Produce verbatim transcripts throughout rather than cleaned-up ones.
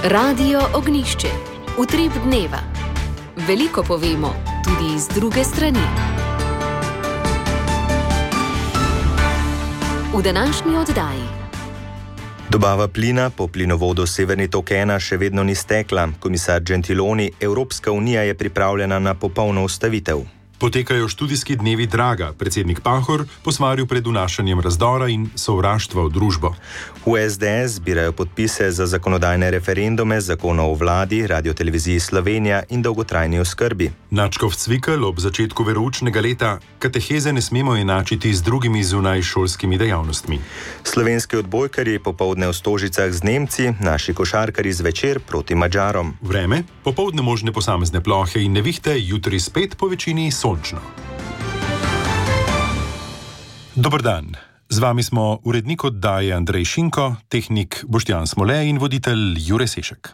Radio Ognjišče. Utrip dneva. Veliko povemo, tudi iz druge strani. V današnji oddaji. Dobava plina po plinovodu Severni tok ena še vedno ni stekla. Komisar Gentiloni, Evropska unija je pripravljena na popolno ustavitev. Potekajo študijski dnevi Draga. Predsednik Pahor posvaril pred vnašanjem razdora in sovraštva v družbo. V S D S zbirajo podpise za zakonodajne referendume, zakonov o vladi, Radioteleviziji Slovenija in dolgotrajni oskrbi. Načkov Cvikl ob začetku veroučnega leta: kateheze ne smemo enačiti z drugimi zunajšolskimi dejavnostmi. Slovenski odbojkarji popoldne v Stožicah z Nemci, naši košarkarji zvečer proti Madžarom. Vreme: popoldne možne posamezne plohe in nevihte, jutri spet po večini sončno. Dober dan. Z vami smo urednik oddaje Andrej Šinko, tehnik Boštjan Smole in voditelj Jure Sešek.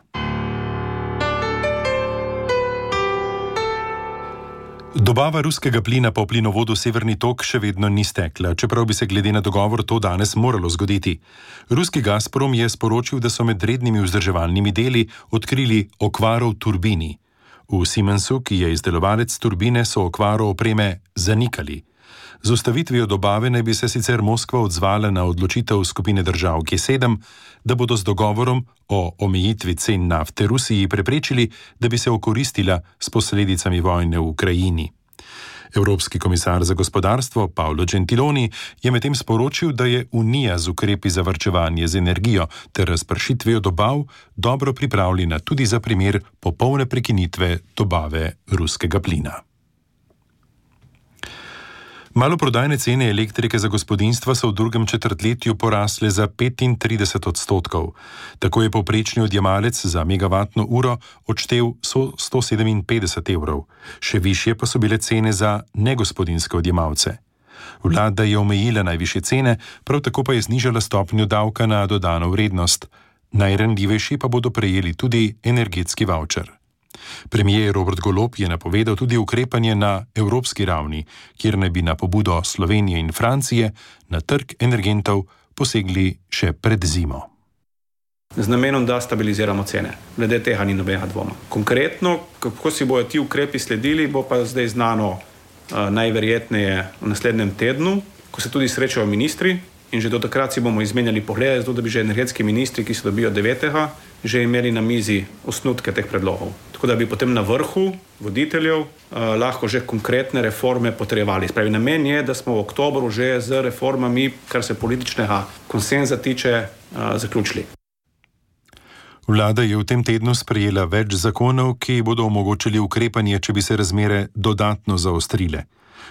Dobava ruskega plina po plinovodu Severni tok še vedno ni stekla, čeprav bi se glede na dogovor to danes moralo zgoditi. Ruski Gazprom je sporočil, da so med rednimi vzdrževalnimi deli odkrili okvaro v turbini. V Siemensu, ki je izdelovalec turbine, so okvaro opreme zanikali. Z ustavitvijo dobave naj bi se sicer Moskva odzvala na odločitev skupine držav G sedem, da bodo z dogovorom o omejitvi cen nafte Rusiji preprečili, da bi se okoristila s posledicami vojne v Ukrajini. Evropski komisar za gospodarstvo Paolo Gentiloni je medtem sporočil, da je Unija z ukrepi za varčevanje z energijo ter razpršitvijo dobav dobro pripravljena tudi za primer popolne prekinitve dobave ruskega plina. Maloprodajne cene elektrike za gospodinjstva so v drugem četrtletju porasle za petintrideset odstotkov. Tako je povprečni odjemalec za megavatno uro odštel sto sedeminpetdeset evrov. Še višje pa so bile cene za negospodinjske odjemalce. Vlada je omejila najvišje cene, prav tako pa je znižala stopnjo davka na dodano vrednost. Najranljivejši pa bodo prejeli tudi energetski vavčer. Premier Robert Golob je napovedal tudi ukrepanje na evropski ravni, kjer naj bi na pobudo Slovenije in Francije na trg energentov posegli še pred zimo. Z namenom, da stabiliziramo cene. Glede tega ni nobenega dvoma. Konkretno, kako si bojo ti ukrepi sledili, bo pa zdaj znano uh, najverjetneje v naslednjem tednu, ko se tudi srečajo ministri in že do takrat si bomo izmenjali poglede, zato da bi že energetski ministri, ki se dobijo devetega, že imeli na mizi osnutke teh predlogov. Tako da bi potem na vrhu voditeljev eh, lahko že konkretne reforme potrjevali. Spravi, namen je, da smo v oktobru že z reformami, kar se političnega konsenza tiče, eh, zaključili. Vlada je v tem tednu sprejela več zakonov, ki bodo omogočili ukrepanje, če bi se razmere dodatno zaostrile.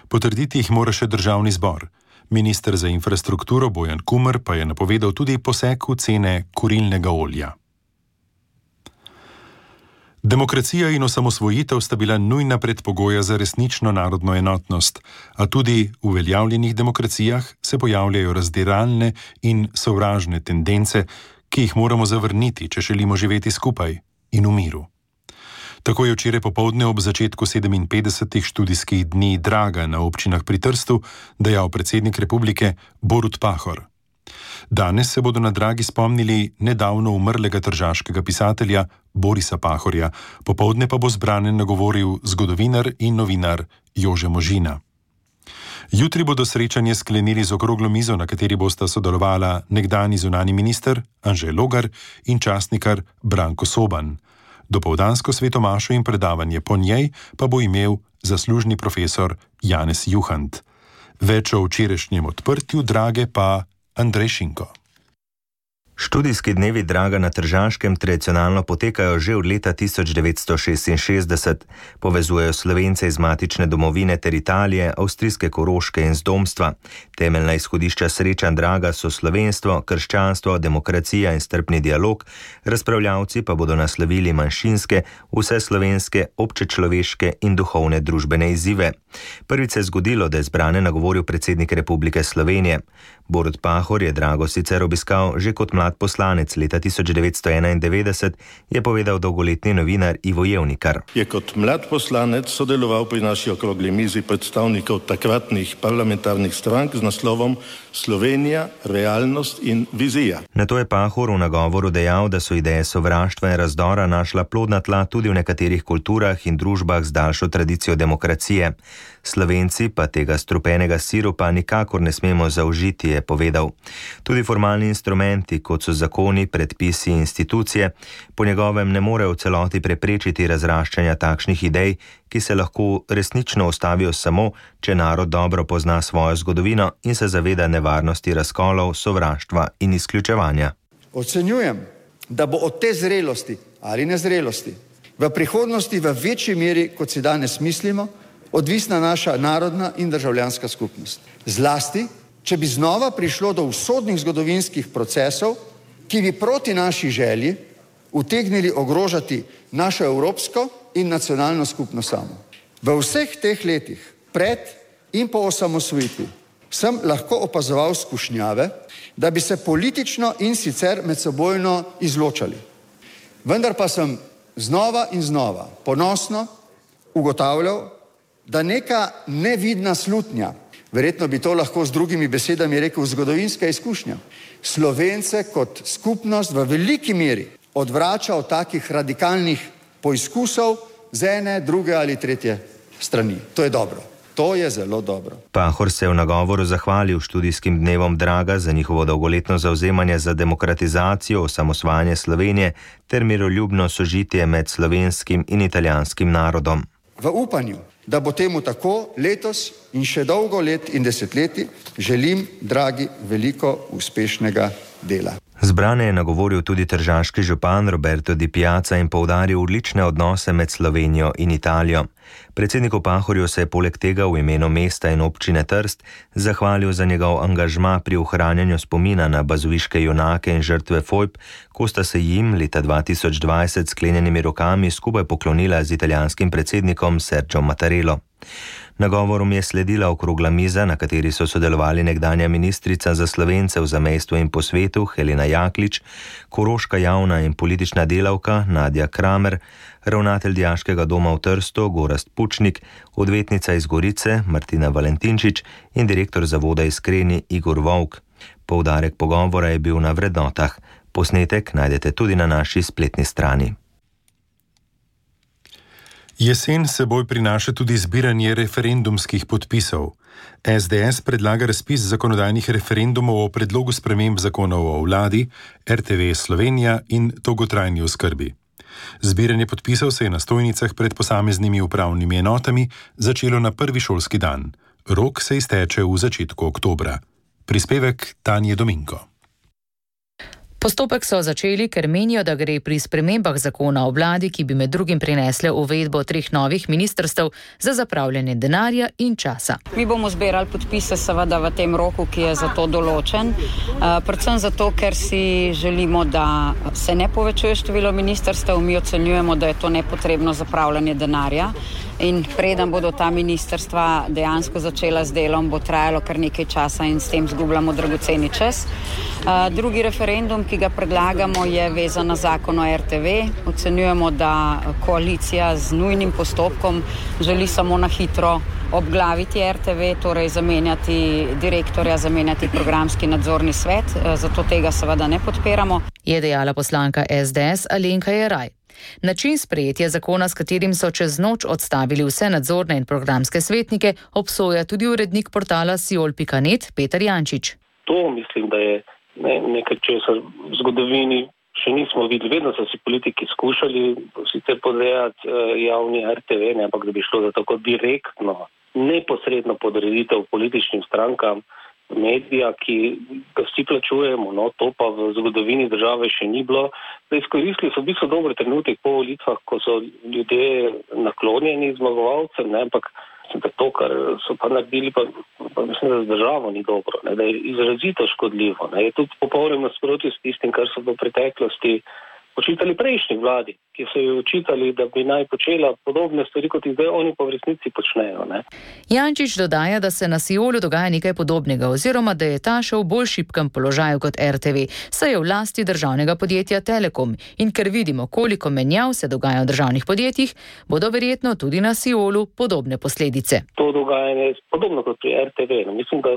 Potrditi jih mora še državni zbor. Minister za infrastrukturo Bojan Kumer pa je napovedal tudi poseg v cene kurilnega olja. Demokracija in osamosvojitev sta bila nujna predpogoja za resnično narodno enotnost, a tudi v uveljavljenih demokracijah se pojavljajo razdiralne in sovražne tendence, ki jih moramo zavrniti, če želimo živeti skupaj in v miru. Tako je včeraj popoldne ob začetku sedeminpetdesetih študijskih dni Draga na občinah pri Trstu dejal predsednik republike Borut Pahor. Danes se bodo na Dragi spomnili nedavno umrlega tržaškega pisatelja Borisa Pahorja, popoldne pa bo zbrane nagovoril zgodovinar in novinar Jože Možina. Jutri bodo srečanje sklenili z okroglo mizo, na kateri bosta sodelovala nekdanji zunanji minister Anže Logar in častnikar Branko Soban. Dopoldansko svetomašo in predavanje po njej pa bo imel zaslužni profesor Janez Juhant. Več o včerajšnjem odprtju Drage pa Andrej Šinko. Študijski dnevi Draga na Tržaškem tradicionalno potekajo že od leta tisoč devetsto šestinšestdeset. Povezujejo Slovence iz matične domovine ter Italije, avstrijske Koroške in Zdomstva. Temeljna izhodišča srečanj Draga so slovenstvo, krščanstvo, demokracija in strpni dialog, razpravljavci pa bodo naslovili manjšinske, vseslovenske, občečloveške in duhovne družbene izzive. Prvič se je zgodilo, da je zbrane nagovoril predsednik Republike Slovenije. Borut Pahor je Drago sicer obiskal že kot mlad mlad poslanec leta tisoč devetsto enaindevetdeset, je povedal dolgoletni novinar Ivo Jevnikar. Je kot mlad poslanec sodeloval pri naši okrogli mizi predstavnikov takratnih parlamentarnih strank z naslovom Slovenija, realnost in vizija. Nato je Pahor v nagovoru dejal, da so ideje sovraštva in razdora našla plodna tla tudi v nekaterih kulturah in družbah z daljšo tradicijo demokracije. Slovenci pa tega strupenega sirupa nikakor ne smemo zaužiti, je povedal. Tudi formalni instrumenti, kot so zakoni, predpisi in institucije, po njegovem ne morejo v celoti preprečiti razraščanja takšnih idej, ki se lahko resnično ustavijo samo, če narod dobro pozna svojo zgodovino in se zaveda nevarnosti razkolov, sovraštva in izključevanja. Ocenjujem, da bo od te zrelosti ali nezrelosti v prihodnosti v večji meri, kot si danes mislimo, odvisna naša narodna in državljanska skupnost. Zlasti, če bi znova prišlo do usodnih zgodovinskih procesov, ki bi proti naši želji utegnili ogrožati našo evropsko in nacionalno skupnost samo. V vseh teh letih, pred in po osamosvojitvi, sem lahko opazoval skušnjave, da bi se politično in sicer medsebojno izločali. Vendar pa sem znova in znova ponosno ugotavljal, da neka nevidna slutnja, verjetno bi to lahko z drugimi besedami rekel zgodovinska izkušnja, Slovence kot skupnost v veliki meri odvrača od takih radikalnih poizkusov z ene, druge ali tretje strani. To je dobro. To je zelo dobro. Pahor se je v nagovoru zahvalil študijskim dnevom Draga za njihovo dolgoletno zavzemanje za demokratizacijo, osamosvajanje Slovenije ter miroljubno sožitje med slovenskim in italijanskim narodom. V upanju, da bo temu tako letos in še dolgo let in desetletji, želim, dragi, veliko uspešnega dela. Zbrane je nagovoril tudi tržaški župan Roberto Di Piazza in poudaril odlične odnose med Slovenijo in Italijo. Predsedniku Pahorju se je poleg tega v imenu mesta in občine Trst zahvalil za njegov angažma pri ohranjanju spomina na bazoviške junake in žrtve fojb, ko sta se jim leta dva tisoč dvajset sklenjenimi rokami skupaj poklonila z italijanskim predsednikom Sergio Mattarello. Nagovorom je sledila okrogla miza, na kateri so sodelovali nekdanja ministrica za Slovence v zamejstvu in po svetu Helena Jaklič, koroška javna in politična delavka Nadja Kramer, ravnatelj dijaškega doma v Trstu Gorazd Pučnik, odvetnica iz Gorice Martina Valentinčič in direktor zavoda Iskreni Igor Volk. Poudarek pogovora je bil na vrednotah. Posnetek najdete tudi na naši spletni strani. Jesen seboj prinaša tudi zbiranje referendumskih podpisov. S D S predlaga razpis zakonodajnih referendumov o predlogu sprememb zakonov o vladi, R T V Slovenija in dolgotrajni oskrbi. Zbiranje podpisov se je na stojnicah pred posameznimi upravnimi enotami začelo na prvi šolski dan. Rok se izteče v začetku oktobra. Prispevek Tanje Dominko. Postopek so začeli, ker menijo, da gre pri spremembah zakona o vladi, ki bi med drugim prinesle uvedbo treh novih ministrstev, za zapravljanje denarja in časa. Mi bomo zbirali podpise seveda v tem roku, ki je za to določen. Predvsem zato, ker si želimo, da se ne povečuje število ministrstev. Mi ocenjujemo, da je to nepotrebno zapravljanje denarja. In preden bodo ta ministrstva dejansko začela z delom, bo trajalo kar nekaj časa in s tem zgubljamo dragoceni čas. Drugi referendum, ki ga predlagamo, je vezan na zakon o R T V. Ocenjujemo, da koalicija z nujnim postopkom želi samo na hitro obglaviti R T V, torej zamenjati direktorja, zamenjati programski nadzorni svet, zato tega seveda ne podpiramo. Je dejala poslanka S D S Alenka Jeraj. Način sprejetja zakona, s katerim so čez noč odstavili vse nadzorne in programske svetnike, obsoja tudi urednik portala siol pika net Peter Jančič. To mislim, da je ne, nekaj, česar v zgodovini še nismo videli. Vedno so si politiki skušali sicer podrejati javni R T V, ne, ampak da bi šlo za tako direktno, neposredno podreditev političnim strankam medija, ki ga vsi plačujemo, no, to pa v zgodovini države še ni bilo. Da izkoristili so v bistvu dober trenutek po volitvah, ko so ljudje naklonjeni zmagovalcem, ne, ampak da to, kar so pa naredili, pa, pa mislim, da z državo ni dobro, ne, da je izrazito škodljivo. Ne. Je tudi popolnoma nasprotju s tistim, kar so v preteklosti očitali prejšnji vladi, ki so jo očitali, da bi naj počela podobne stvari, kot jih zdaj oni pa v resnici počnejo. Ne. Jančič dodaja, da se na Siolu dogaja nekaj podobnega oziroma da je ta še v bolj šibkem položaju kot R T V, saj je v lasti državnega podjetja Telekom in ker vidimo, koliko menjav se dogaja v državnih podjetjih, bodo verjetno tudi na Siolu podobne posledice. To dogajanje je podobno kot pri R T V. No, mislim, da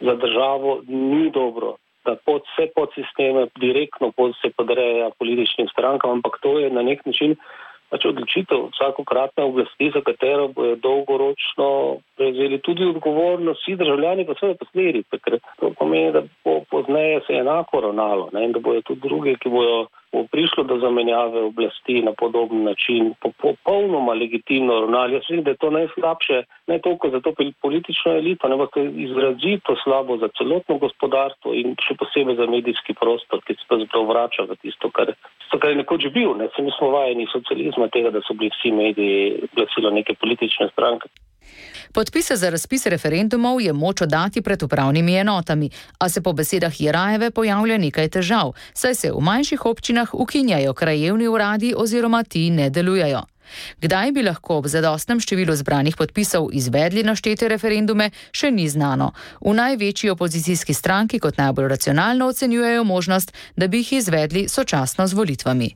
za državo ni dobro, da pod vse podsisteme direktno pod se podreja političnim strankam, ampak to je na nek način pač odločitev vsakokratne oblasti, za katero bojo dolgoročno prevzeli tudi odgovornost vsi državljani pa svoje posledice, ker to pomeni, da bo pozneje se enako ravnalo, ne, in da bojo tudi drugi, ki bojo bo prišlo do zamenjave oblasti na podoben način, popolnoma legitimno ravnali. Jaz mislim, da je to najslabše, ne toliko za to politično elito, ne pa to je izrazito slabo za celotno gospodarstvo in še posebej za medijski prostor, ki se pravzaprav vrača v tisto, kar, tisto, kar je nekoč bil. Ne. Se mi smo vajeni socializma tega, da so bili vsi mediji glasilo neke politične stranke. Podpise za razpis referendumov je moč oddati pred upravnimi enotami, a se po besedah Jerajeve pojavlja nekaj težav, saj se v manjših občinah ukinjajo krajevni uradi oziroma ti ne delujejo. Kdaj bi lahko ob zadostnem številu zbranih podpisov izvedli naštete referendume, še ni znano. V največji opozicijski stranki kot najbolj racionalno ocenjujejo možnost, da bi jih izvedli sočasno z volitvami.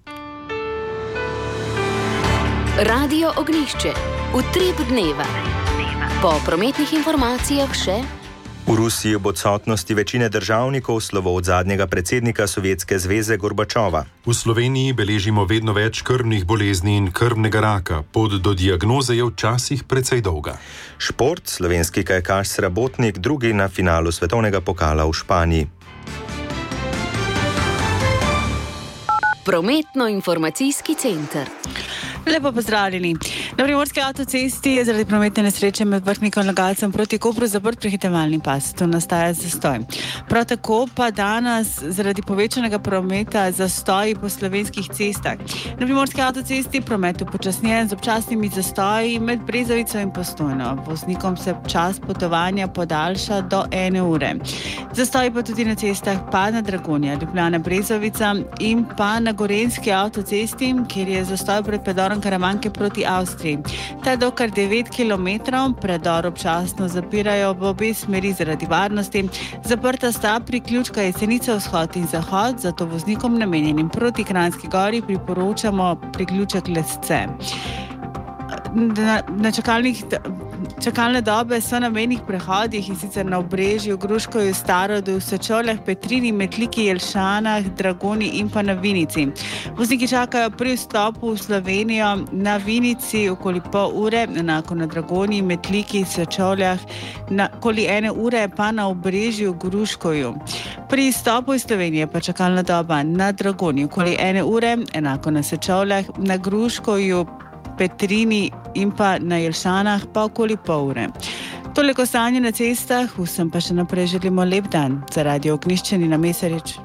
Radio Ognjišče. Utrip dneva. Po prometnih informacijah še... V Rusiji ob odsotnosti večine državnikov slovo od zadnjega predsednika Sovjetske zveze Gorbačova. V Sloveniji beležimo vedno več krvnih bolezni in krvnega raka. Pot do diagnoze je včasih precej dolga. Šport, slovenski kajakaš Srabotnik, drugi na finalu svetovnega pokala v Španiji. Prometno-informacijski center. Lepo pozdravljeni. Na primorski avtocesti je zaradi prometne nesreče med Vrhnikom in Logatcem proti Kopru zaprt prehitevalni pas. To nastaja zastoj. Prav tako pa danes zaradi povečanega prometa zastoji po slovenskih cestah. Na primorski avtocesti promet upočasnjen z občasnimi zastoji med Brezovico in Postojno. Voznikom se čas potovanja podaljša do ene ure. Zastoji pa tudi na cestah pa na Dragonja, Ljubljana, Brezovica in pa na Gorenjski avtocesti, kjer je zastoj pred predorom Karavanke proti Avstriji. Ta je do kar devet kilometrov, predor občasno zapirajo v obe smeri zaradi varnosti. Zaprta sta priključka Jesenica vzhod in zahod, zato voznikom namenjenim proti Kranjski gori priporočamo priključek Lesce. Na, na čakalnih, čakalne dobe so na mejnih prehodih in sicer na Obrežju, Gruškovju, Starodu, Sečovljah, Petrini, Metliki, Jelšanah, Dragoni in pa na Vinici. Vozniki čakajo pri vstopu v Slovenijo na Vinici okoli pol ure, enako na Dragoni, Metliki, Sečovljah, na okoli ene ure pa na Obrežju, Gruškovju. Pri vstopu iz Slovenije pa čakalna doba na Dragoni okoli ene ure, enako na Sečovljah, na Gruškovju, Petrini in pa na Jelšanah pa okoli pol ure. Toliko stanje na cestah, vsem pa še naprej želimo lep dan. Za Radio Ognjišče Nina Mesarič.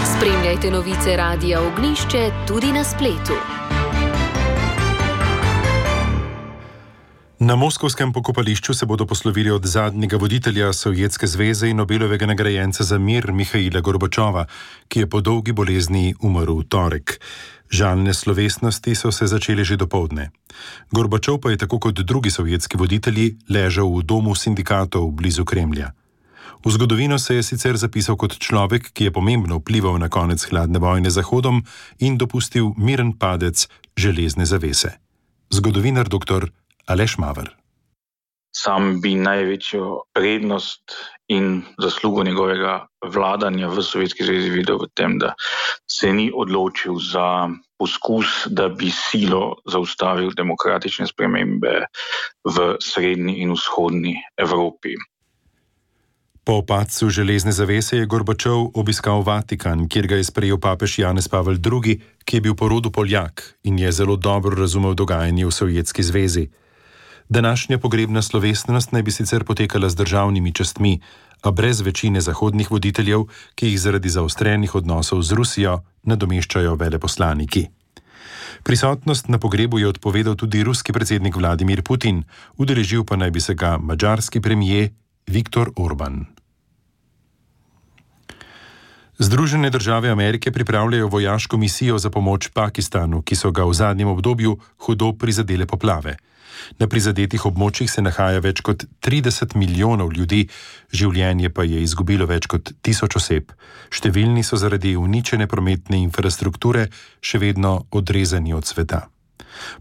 Spremljajte novice Radia Ognjišče tudi na spletu. Na moskovskem pokopališču se bodo poslovili od zadnjega voditelja Sovjetske zveze in Nobelovega nagrajenca za mir Mihaila Gorbačova, ki je po dolgi bolezni umrl v torek. Žalne slovesnosti so se začele že dopoldne. Gorbačov pa je tako kot drugi sovjetski voditelji ležal v domu sindikatov blizu Kremlja. V zgodovino se je sicer zapisal kot človek, ki je pomembno vplival na konec hladne vojne z Zahodom in dopustil miren padec železne zavese. Zgodovinar doktor Aleš Maver. Sam bi največjo prednost in zaslugo njegovega vladanja v Sovjetski zvezi videl v tem, da se ni odločil za poskus, da bi silo zaustavil demokratične spremembe v srednji in vzhodni Evropi. Po padcu železne zavese je Gorbačov obiskal Vatikan, kjer ga je sprejel papež Janez Pavel drugi, ki je bil po rodu Poljak in je zelo dobro razumel dogajanje v Sovjetski zvezi. Današnja pogrebna slovesnost naj bi sicer potekala z državnimi častmi, a brez večine zahodnih voditeljev, ki jih zaradi zaostrenih odnosov z Rusijo nadomeščajo veleposlaniki. Prisotnost na pogrebu je odpovedal tudi ruski predsednik Vladimir Putin, udeležil pa naj bi se ga madžarski premijer Viktor Orban. Združene države Amerike pripravljajo vojaško misijo za pomoč Pakistanu, ki so ga v zadnjem obdobju hudo prizadele poplave. Na prizadetih območjih se nahaja več kot trideset milijonov ljudi, življenje pa je izgubilo več kot tisoč oseb. Številni so zaradi uničene prometne infrastrukture še vedno odrezani od sveta.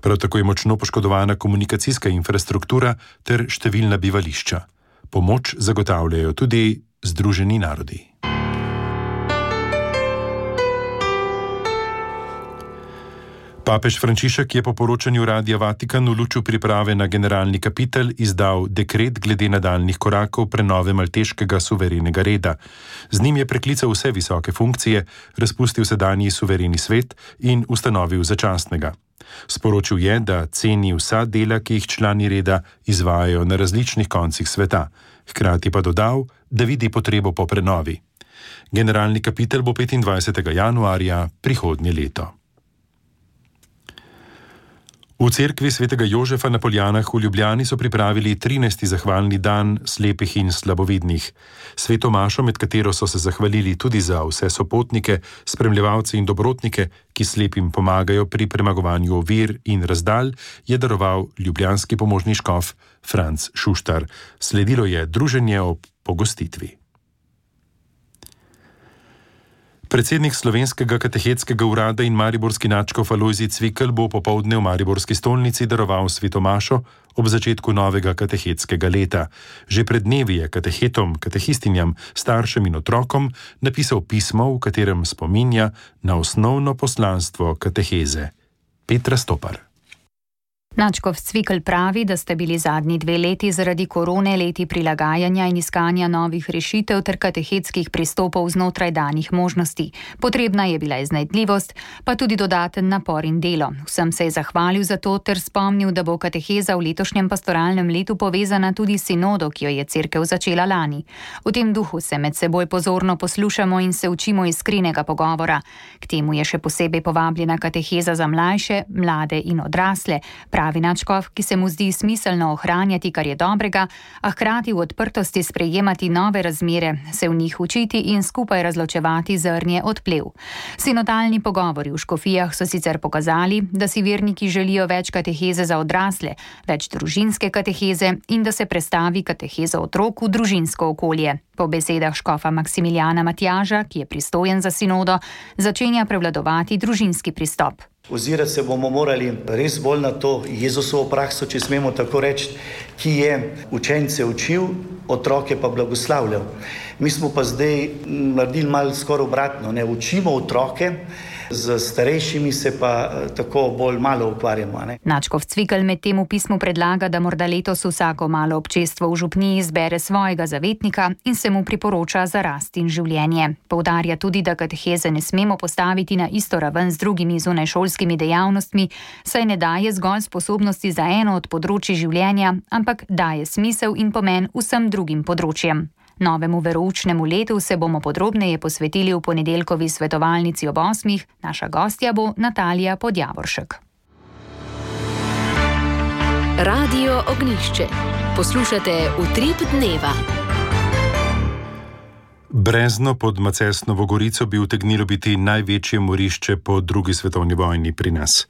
Prav tako je močno poškodovana komunikacijska infrastruktura ter številna bivališča. Pomoč zagotavljajo tudi Združeni narodi. Papež Frančišek je po poročanju Radia Vatikan v luču priprave na generalni kapitel izdal dekret glede nadaljnjih korakov prenove malteškega suverenega reda. Z njim je preklical vse visoke funkcije, razpustil sedanji suvereni svet in ustanovil začasnega. Sporočil je, da ceni vsa dela, ki jih člani reda izvajajo na različnih koncih sveta. Hkrati pa dodal, da vidi potrebo po prenovi. Generalni kapitel bo petindvajsetega januarja prihodnje leto. V cerkvi svetega Jožefa na Poljanah v Ljubljani so pripravili trinajsti zahvalni dan slepih in slabovidnih. Sveto mašo, med katero so se zahvalili tudi za vse sopotnike, spremljevalce in dobrotnike, ki slepim pomagajo pri premagovanju ovir in razdalj, je daroval ljubljanski pomožni škof Franc Šuštar. Sledilo je druženje ob pogostitvi. Predsednik Slovenskega katehetskega urada in mariborski nadškof Alojzij Cvikl bo popoldne v mariborski stolnici daroval sveto mašo ob začetku novega katehetskega leta. Že pred dnevi je katehetom, katehistinjam, staršem in otrokom napisal pismo, v katerem spominja na osnovno poslanstvo kateheze. Petra Stopar. Nadškof Cvikl pravi, da sta bili zadnji dve leti zaradi korone leti prilagajanja in iskanja novih rešitev ter katehetskih pristopov znotraj danih možnosti. Potrebna je bila iznajdljivost, pa tudi dodaten napor in delo. Vsem se je zahvalil za to ter spomnil, da bo kateheza v letošnjem pastoralnem letu povezana tudi s sinodo, ki jo je cerkev začela lani. V tem duhu se med seboj pozorno poslušamo in se učimo iskrenega pogovora. K temu je še posebej povabljena kateheza za mlajše, mlade in odrasle, pravi nadškof, ki se mu zdi smiselno ohranjati, kar je dobrega, a hkrati v odprtosti sprejemati nove razmere, se v njih učiti in skupaj razločevati zrnje od plev. Sinodalni pogovori v škofijah so sicer pokazali, da si verniki želijo več kateheze za odrasle, več družinske kateheze in da se prestavi kateheza otrok v družinsko okolje. Po besedah škofa Maksimiljana Matjaža, ki je pristojen za sinodo, začenja prevladovati družinski pristop. Ozirati se bomo morali res bolj na to Jezusovo prakso, če smemo tako reči, ki je učence učil, otroke pa blagoslavljal. Mi smo pa zdaj naredili malo skoraj obratno, ne učimo otroke, z starejšimi se pa tako bolj malo ukvarjamo. Ne? Nadškof Cvikl med tem v pismu predlaga, da morda letos vsako malo občestvo v župniji izbere svojega zavetnika in se mu priporoča za rast in življenje. Poudarja tudi, da kateheze ne smemo postaviti na isto raven z drugimi zunajšolskimi dejavnostmi, saj ne daje zgolj sposobnosti za eno od področij življenja, ampak daje smisel in pomen vsem drugim področjem. Novemu veroučnemu letu se bomo podrobneje posvetili v ponedeljkovi svetovalnici ob osmih. Naša gostja bo Natalija Podjavoršek. Radio Ognjišče. Poslušate Utrip dneva. Brezno pod Macesnovo Gorico bi utegnilo biti največje morišče po drugi svetovni vojni pri nas.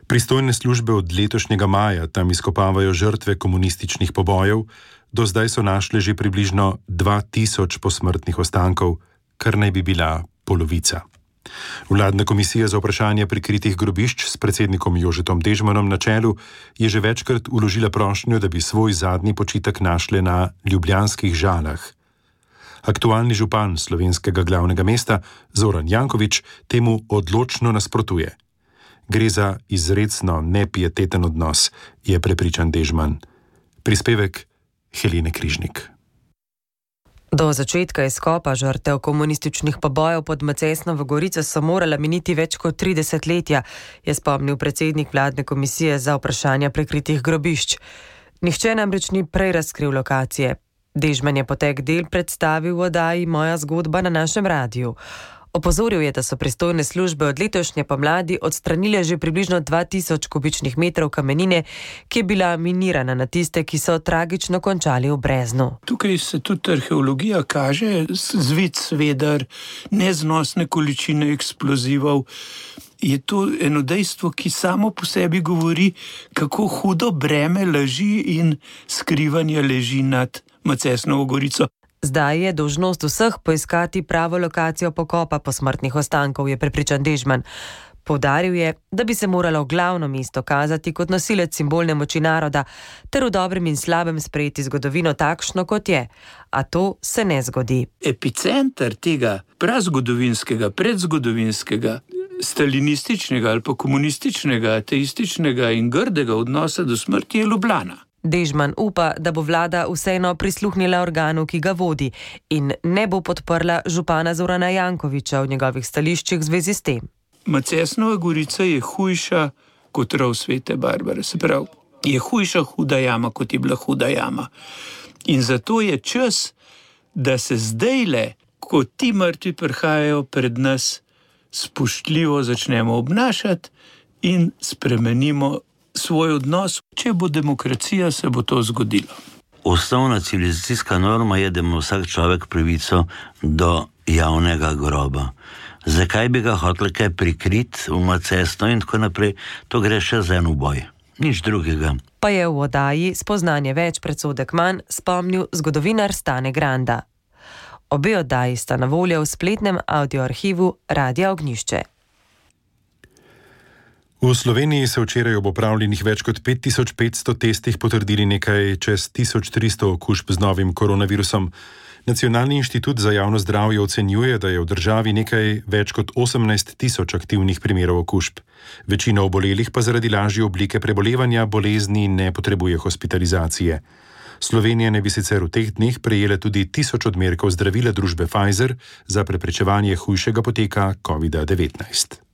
Pristojne službe od letošnjega maja tam izkopavajo žrtve komunističnih pobojev, do zdaj so našli že približno dva tisoč posmrtnih ostankov, kar naj bi bila polovica. Vladna komisija za vprašanje prikritih grobišč s predsednikom Jožetom Dežmanom na čelu je že večkrat vložila prošnjo, da bi svoj zadnji počitek našle na ljubljanskih Žalah. Aktualni župan slovenskega glavnega mesta Zoran Janković temu odločno nasprotuje. Gre za izrecno nepieteten odnos, je prepričan Dežman. Prispevek Helene Križnik. Do začetka izkopa žrtev komunističnih pobojev pod Macesnovo Gorico so morala miniti več kot tri desetletja, je spomnil predsednik vladne komisije za vprašanja prikritih grobišč. Nihče namreč ni prej razkril lokacije. Dežman je potek del predstavil v oddaji Moja zgodba na našem radiju. Opozoril je, da so pristojne službe od letošnje pomladi odstranile že približno dva tisoč kubičnih metrov kamenine, ki je bila minirana na tiste, ki so tragično končali v Breznu. Tukaj se tudi arheologija kaže, zvid sveder, neznosne količine eksplozivov. Je to eno dejstvo, ki samo po sebi govori, kako hudo breme laži in skrivanja leži nad Macesnovo Gorico. Zdaj je dolžnost vseh poiskati pravo lokacijo pokopa posmrtnih ostankov, je prepričan Dežman. Poudaril je, da bi se moralo glavno mesto kazati kot nosilec simbolne moči naroda, ter v dobrem in slabem sprejeti zgodovino takšno, kot je. A to se ne zgodi. Epicenter tega prazgodovinskega, predzgodovinskega, stalinističnega ali pa komunističnega, ateističnega in grdega odnosa do smrti je Ljubljana. Dežman upa, da bo vlada vseeno prisluhnila organu, ki ga vodi, in ne bo podprla župana Zorana Jankovića v njegovih stališčih v zvezi s tem. Macesnova Gorica je hujša kot rov Svete Barbare. Se pravi, je hujša huda jama, kot je bila huda jama. In zato je čas, da se zdajle, ko ti mrtvi prihajajo pred nas, spoštljivo začnemo obnašati in spremenimo svoj odnos. Če bo demokracija, se bo to zgodilo. Osnovna civilizacijska norma je, da ima vsak človek pravico do javnega groba. Zakaj bi ga hotel kaj prikriti v Macesno in tako naprej? To gre še za en uboj. Nič drugega. Pa je v oddaji Spoznanje več, predsodek manj spomnil zgodovinar Stane Granda. Obe oddaji sta na voljo v spletnem audioarhivu Radia Ognjišče. V Sloveniji se včeraj ob opravljenih več kot pet tisoč petsto testih potrdili nekaj čez tisoč tristo okužb z novim koronavirusom. Nacionalni inštitut za javno zdravje ocenjuje, da je v državi nekaj več kot osemnajst tisoč aktivnih primerov okužb. Večina obolelih pa zaradi lažje oblike prebolevanja bolezni ne potrebuje hospitalizacije. Slovenija ne bi sicer v teh dneh prejela tudi tisoč odmerkov zdravila družbe Pfizer za preprečevanje hujšega poteka kovida devetnajst.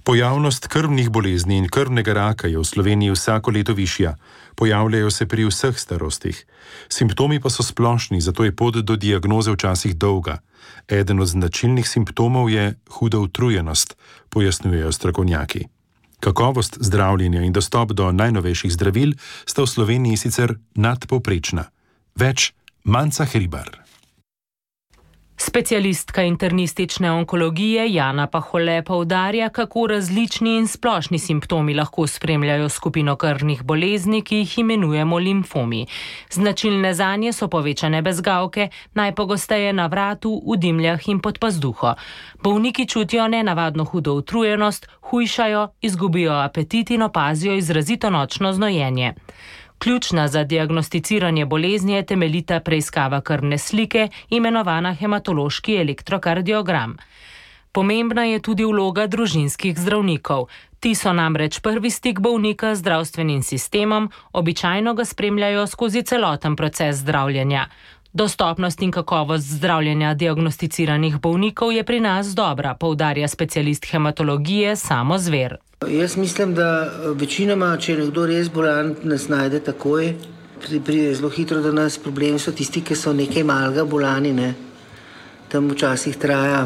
Pojavnost krvnih bolezni in krvnega raka je v Sloveniji vsako leto višja. Pojavljajo se pri vseh starostih. Simptomi pa so splošni, zato je pot do diagnoze včasih dolga. Eden od značilnih simptomov je huda utrujenost, pojasnjujejo strokovnjaki. Kakovost zdravljenja in dostop do najnovejših zdravil sta v Sloveniji sicer nadpovprečna. Več Manca Hribar. Specialistka internistične onkologije Jana Pahole poudarja, kako različni in splošni simptomi lahko spremljajo skupino krvnih bolezni, ki jih imenujemo limfomi. Značilne zanje so povečane bezgavke, najpogosteje na vratu, v dimljah in pod pazduho. Bolniki čutijo nenavadno hudo utrujenost, hujšajo, izgubijo apetit in opazijo izrazito nočno znojenje. Ključna za diagnosticiranje bolezni je temeljita preiskava krvne slike, imenovana hematološki elektrokardiogram. Pomembna je tudi vloga družinskih zdravnikov. Ti so namreč prvi stik bolnika z zdravstvenim sistemom, običajno ga spremljajo skozi celoten proces zdravljenja. Dostopnost in kakovost zdravljenja diagnosticiranih bolnikov je pri nas dobra, poudarja specialist hematologije Samo Zver. Jaz mislim, da večinoma, če je nekdo res bolan, nas najde takoj, pride zelo hitro do nas. Problemi so tisti, ki so nekaj malega bolani, ne. Tam včasih traja.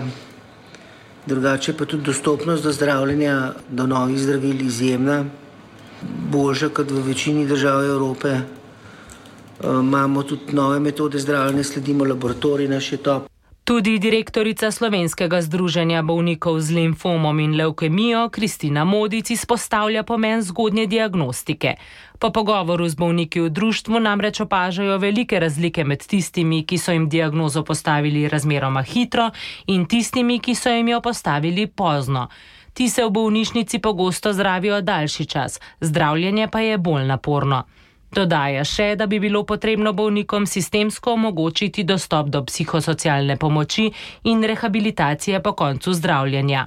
Drugače pa tudi dostopnost do zdravljenja, do novih zdravil izjemna, boljša kot v večini držav Evrope. Imamo tudi nove metode zdravljenja, sledimo laboratorij, naš je top. Tudi direktorica Slovenskega združenja bolnikov z limfomom in levkemijo Kristina Modic izpostavlja pomen zgodnje diagnostike. Po pogovoru z bolniki v društvu namreč opažajo velike razlike med tistimi, ki so jim diagnozo postavili razmeroma hitro, in tistimi, ki so jim jo postavili pozno. Ti se v bolnišnici pogosto zdravijo daljši čas, zdravljenje pa je bolj naporno. Dodaja še, da bi bilo potrebno bolnikom sistemsko omogočiti dostop do psihosocialne pomoči in rehabilitacije po koncu zdravljenja.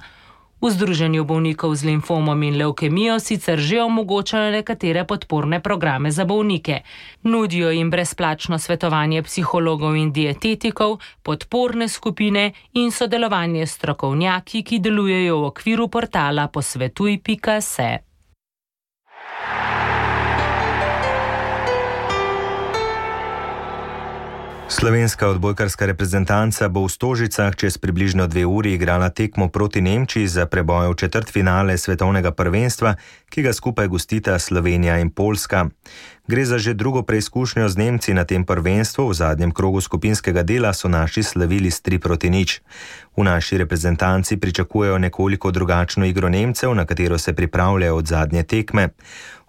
V Združenju bolnikov z limfomom in levkemijo sicer že omogočajo nekatere podporne programe za bolnike. Nudijo jim brezplačno svetovanje psihologov in dietetikov, podporne skupine in sodelovanje s strokovnjaki, ki delujejo v okviru portala posvetuj pika se. Slovenska odbojkarska reprezentanca bo v Stožicah čez približno dve uri igrala tekmo proti Nemčiji za preboj v četrtfinale svetovnega prvenstva, ki ga skupaj gostita Slovenija in Poljska. Gre za že drugo preizkušnjo z Nemci na tem prvenstvu. V zadnjem krogu skupinskega dela so naši slavili s tri proti nič. V naši reprezentanci pričakujejo nekoliko drugačno igro Nemcev, na katero se pripravljajo od zadnje tekme.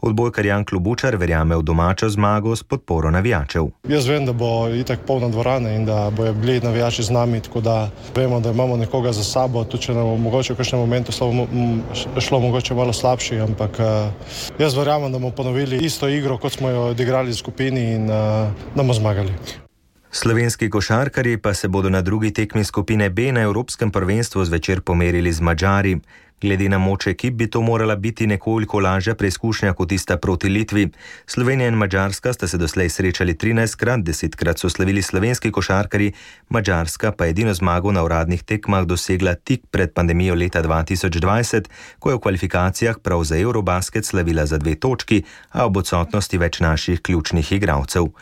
Odbojkar Jan Klobučar verjame v domačo zmago s podporo navijačev. Jaz vem, da bo itak polna dvorana in da bojo bili navijači z nami, tako da vemo, da imamo nekoga za sabo, tudi če nam bo mogoče v kakšnem momentu šlo, šlo mogoče malo slabši, ampak jaz verjamem, da bomo ponovili isto igro, kot smo jo odigrali v skupini in da bomo zmagali. Slovenski košarkarji pa se bodo na drugi tekmi skupine B na Evropskem prvenstvu zvečer pomerili z Madžari. Glede na moč ekip bi to morala biti nekoliko lažja preizkušnja kot tista proti Litvi. Slovenija in Madžarska sta se doslej srečali trinajstkrat, desetkrat so slavili slovenski košarkarji, Madžarska pa edino zmago na uradnih tekmah dosegla tik pred pandemijo leta dva tisoč dvajset, ko je v kvalifikacijah prav za Eurobasket slavila za dve točki, a ob odsotnosti več naših ključnih igralcev.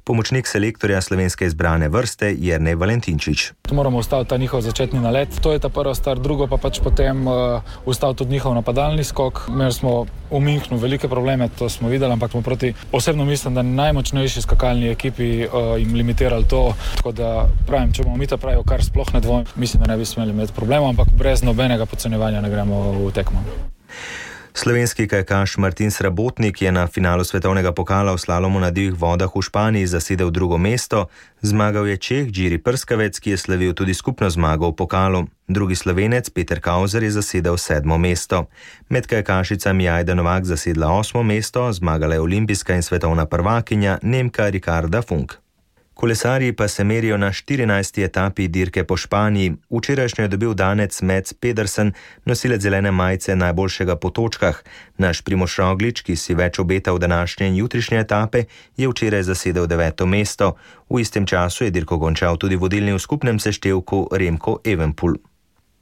Pomočnik selektorja slovenske izbrane vrste Jernej Valentinčič. Moramo ustaviti ta njihov začetni nalet, to je ta prva stvar, drugo pa pač potem uh, ustaviti tudi njihov napadalni skok. Imeli smo v Münchnu velike probleme, to smo videli, ampak smo proti osebno mislim, da najmočnejši skakalni ekipi uh, jim limitirali to, tako da pravim, če bomo mi to pravili, kar sploh ne dvomim, mislim, da ne bi smeli imeti problemov, ampak brez nobenega podcenjevanja ne gremo v tekmo. Slovenski kajakaš Martin Srabotnik je na finalu svetovnega pokala v slalomu na divjih vodah v Španiji zasedel drugo mesto. Zmagal je Čeh Jiri Prskavec, ki je slavil tudi skupno zmago v pokalu. Drugi Slovenec Peter Kauzer je zasedel sedmo mesto. Med kajakašicami je Ajda Novak zasedla osmo mesto, zmagala je olimpijska in svetovna prvakinja Nemka Ricarda Funk. Kolesarji pa se merijo na štirinajsti etapi dirke po Španiji. Včerajšnjo je dobil danec Mats Pedersen, nosilec zelene majice najboljšega po točkah. Naš Primož Roglič, ki si več obeta v današnje in jutrišnje etape, je včeraj zasedel deveto mesto. V istem času je dirko končal tudi vodilni v skupnem seštevku Remko Evenepoel.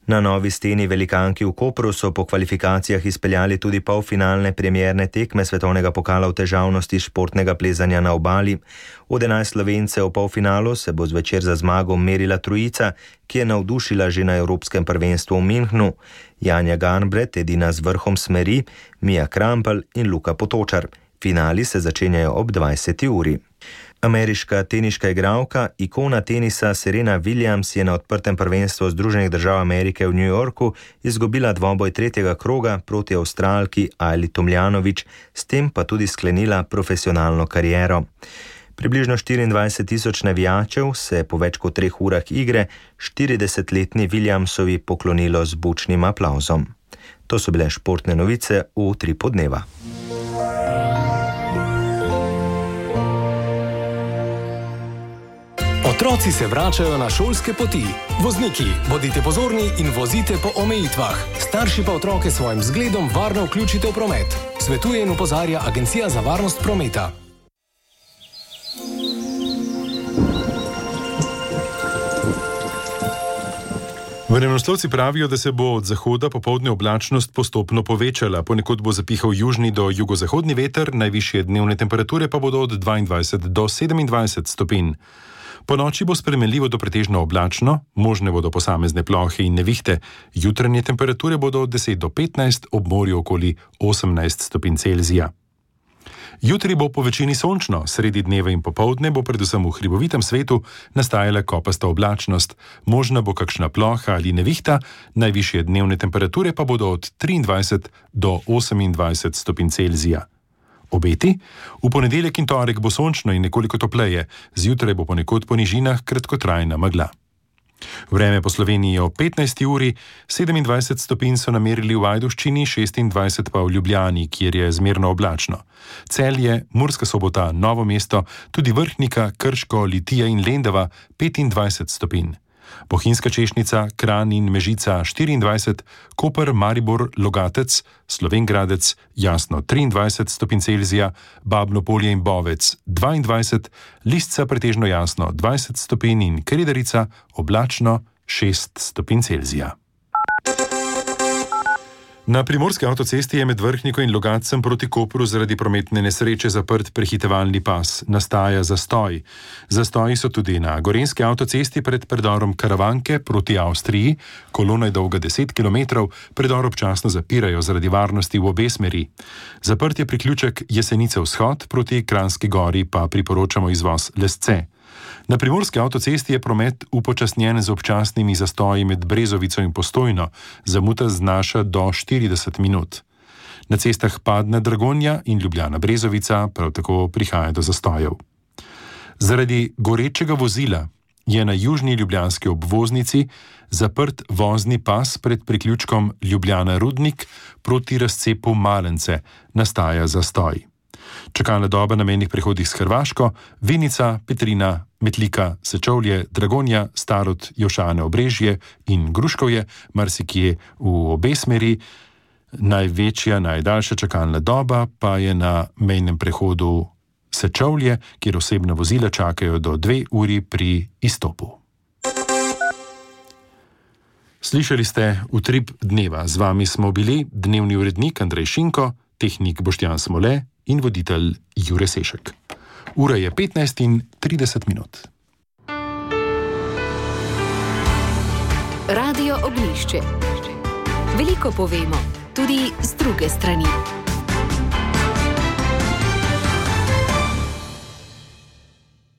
Na Novi steni velikanki v Kopru so po kvalifikacijah izpeljali tudi polfinalne premierne tekme svetovnega pokala v težavnosti športnega plezanja na obali. Od enajst Slovencev v polfinalu se bo zvečer za zmago merila trojica, ki je navdušila že na Evropskem prvenstvu v Münchnu. Janja Garnbret, edina z vrhom smeri, Mija Krampelj in Luka Potočar. Finali se začenjajo ob dvajseti uri. Ameriška teniška igralka, ikona tenisa Serena Williams je na odprtem prvenstvu Združenih držav Amerike v New Yorku izgubila dvoboj tretjega kroga proti Avstralki Ajli Tomljanović, s tem pa tudi sklenila profesionalno kariero. Približno štiriindvajset tisoč navijačev se je po več kot treh urah igre štiridesetletni Williamsovi poklonilo z bučnim aplavzom. To so bile športne novice v Utripu dneva. Otroci se vračajo na šolske poti. Vozniki, bodite pozorni in vozite po omejitvah. Starši pa otroke s svojim zgledom varno vključite v promet. Svetuje in opozarja Agencija za varnost prometa. Vremenoslovci pravijo, da se bo od zahoda popoldne oblačnost postopno povečala. Ponekod bo zapihal južni do jugozahodni veter, najvišje dnevne temperature pa bodo od dvaindvajset do sedemindvajset stopinj. Po noči bo spremenljivo do pretežno oblačno, možne bodo posamezne plohe in nevihte. Jutranje temperature bodo od deset do petnajst, ob morju okoli osemnajst stopinj Celzija. Jutri bo po večini sončno, sredi dneva in popoldne bo predvsem v hribovitem svetu nastajala kopasta oblačnost. Možna bo kakšna ploha ali nevihta, najvišje dnevne temperature pa bodo od triindvajset do osemindvajset stopinj Celzija. Obeti? V ponedeljek in torek bo sončno in nekoliko topleje, zjutraj bo ponekod po nižinah kratkotrajna megla. Vreme po Sloveniji ob petnajsti uri, sedemindvajset stopinj so namerili v Ajdovščini, šestindvajset pa v Ljubljani, kjer je zmerno oblačno. Celje, Murska Sobota, Novo mesto, tudi Vrhnika, Krško, Litija in Lendava petindvajset stopinj. Bohinjska Češnica, Kranj in Mežica štiriindvajset, Koper, Maribor, Logatec, Slovenj Gradec, Jasno triindvajset stopinj Celzija, Babno Polje in Bovec dvaindvajset, Lisca pretežno jasno dvajset stopinj in Kredarica oblačno šest stopinj Celzija. Na primorski avtocesti je med Vrhniko in Logatcem proti Kopru zaradi prometne nesreče zaprt prehitevalni pas. Nastaja zastoj. Zastoji so tudi na gorenjski avtocesti pred predorom Karavanke proti Avstriji. Kolona je dolga deset kilometrov, predor občasno zapirajo zaradi varnosti v obe smeri. Zaprt je priključek Jesenice vzhod, proti Kranjski gori pa priporočamo izvoz Lesce. Na primorski avtocesti je promet upočasnjen z občasnimi zastoji med Brezovico in Postojno. Zamuda znaša do štirideset minut. Na cestah Padna Dragonja in Ljubljana Brezovica prav tako prihaja do zastojev. Zaradi gorečega vozila je na južni ljubljanski obvoznici zaprt vozni pas pred priključkom Ljubljana Rudnik proti razcepu Malence. Nastaja zastoj. Čakalna doba na mejnih prehodih s Hrvaško, Vinica, Petrina, Metlika, Sečovlje, Dragonja, Starod, Jošane, Obrežje in Gruškovje, marsikje v obe smeri. Največja, najdaljša čakalna doba pa je na mejnem prehodu Sečovlje, kjer osebna vozila čakajo do dve uri pri izstopu. Slišali ste Utrip dneva. Z vami smo bili dnevni urednik Andrej Šinko, tehnik Boštjan Smole in voditelj Jure Sešek. Ura je petnajst in trideset minut. Radio Oglišče. Veliko povemo, tudi z druge strani.